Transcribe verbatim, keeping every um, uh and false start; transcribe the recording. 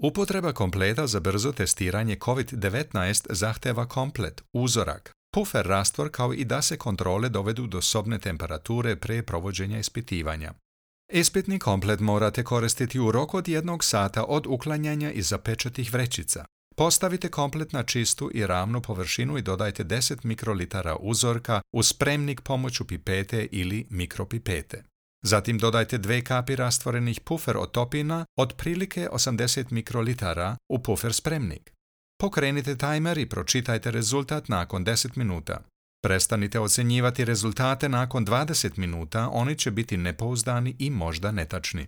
Upotreba kompleta za brzo testiranje kovid devetnaest zahteva komplet, uzorak, pufer rastvor kao i da se kontrole dovedu do sobne temperature pre provođenja ispitivanja. Ispitni komplet morate koristiti u roku od jednog sata od uklanjanja iz zapečatih vrećica. Postavite komplet na čistu i ravnu površinu i dodajte deset mikrolitara uzorka u spremnik pomoću pipete ili mikropipete. Zatim dodajte dve kapi rastvorenih pufer otopina, otprilike osamdeset mikrolitara, u pufer spremnik. Pokrenite tajmer i pročitajte rezultat nakon deset minuta. Prestanite ocjenjivati rezultate nakon dvadeset minuta, oni će biti nepouzdani i možda netačni.